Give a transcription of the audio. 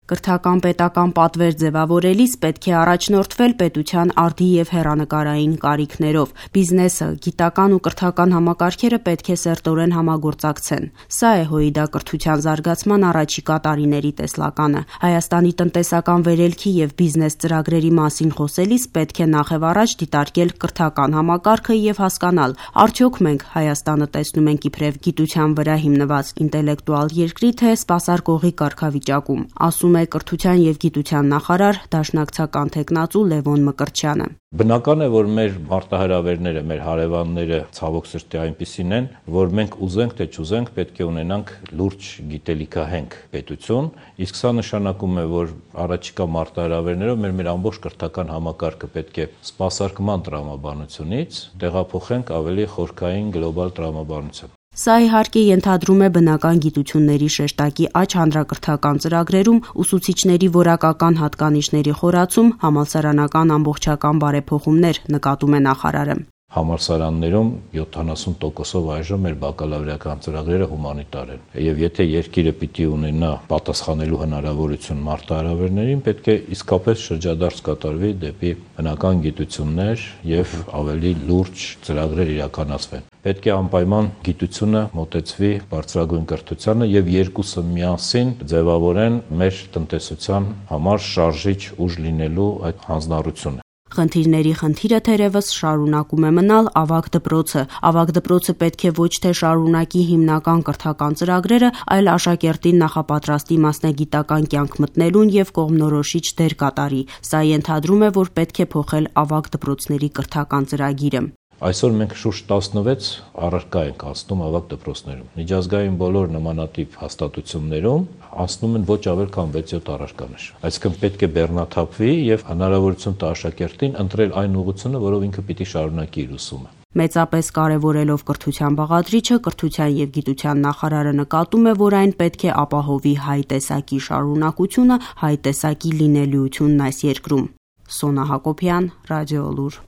Կրթական պետական պատվեր ձևավորելիս պետք է առաջնորդվել պետության արդի եւ հեռանկարային կարիքներով։ Բիզնեսը, գիտական ու կրթական համակարգերը պետք է սերտորեն համագործակցեն։ Սա է ՀՅԴ կրթության զարգացման առաջիկա տարիների տեսլականը։ Հայաստանի տնտեսական վերելքի եւ բիզնես ծրագրերի մասին խոսելիս պետք է նախևառաջ դիտարկել կրթական համակարգը եւ հասկանալ, արդյոք մենք Հայաստանը տեսնում ենք իբրև գիտության վրա հիմնված ինտելեկտուալ երկրի, թե սպասարկողի կարգավիճակում, ասում է կրթության եւ գիտության նախարար, դաշնակցական թեկնածու Լևոն Մկրտչյանը։ Բնական է, որ մեր մարտահրավերները, մեր հարևանները ցավոք սրտի այնպիսին են, որ մենք ուզենք թե չուզենք պետք է ունենանք լուրջ գիտելիքահենք պետություն, իսկ սա նշանակում է, որ առաջիկա մարտահրավերներով մեր ամբողջ կրթական համակարգը պետք է սպասարկման տրամաբանությունից տեղափոխենք ավելի խորքային գլոբալ տրամաբանության։ Սա իհարկե ենթադրում է բնական գիտությունների շեշտակի աճ հանրակրթական ծրագրերում, ուսուցիչների որակական հատկանիշների խորացում, համալսարանական ամբողջական բարեփոխումներ, նկատում է նախարարը։ Համալսարաններում 70%-ով այժմ մեր բակալավրիական ծրագրերը հումանիտար են։ Եվ եթե երկիրը պիտի ունենա պատասխանելու հնարավորություն մարտահրավերներին, պետք է իսկապես շրջադարձ կատարվի դեպի բնական գիտություններ եւ ավելի լուրջ ծրագրեր իրականացվեն։ Պետք է անպայման գիտությունը մոտեցվի բարձրագույն կրթությանը եւ երկուսը միասին ձևավորեն մեր տնտեսության համար շարժիչ ուժ լինելու այդ հանձնառությունը։ Խնդիրների խնդիրը թերևս շարունակում է մնալ ավագ դպրոցը։ Ավագ դպրոցը պետք է ոչ թե շարունակի հիմնական կրթական ծրագրերը, այլ աշակերտին նախապատրաստի մասնագիտական կյանք մտնելուն եւ կողմնորոշիչ դեր կատարի։ Սա ենթադրում է, որ պետք է փոխել ավագ դպրոցների կրթական ծրագիրը։ Այսօր մենք շուրջ 16 առարկա ենք անցնում ավագ դպրոցներում։ Միջազգային բոլոր նմանատիպ հաստատություններում անցնում են ոչ ավել քան 6-7 առարկաներ։ Այսինքն պետք է բեռնաթափվի եւ հնարավորություն տա աշակերտին ընտրել այն ուղղությունը, որով ինքը պիտի շարունակի իր ուսումը։ Մեծապես կարևորելով կրթության բաղադրիչը, կրթության եւ գիտության նախարարը նկատում է, որ այն պետք է ապահովի հայ տեսակի շարունակությունը, հայ տեսակի լինելիությունն այս երկրում։ Սոնա Հակոբյան, Ռադիոլուր։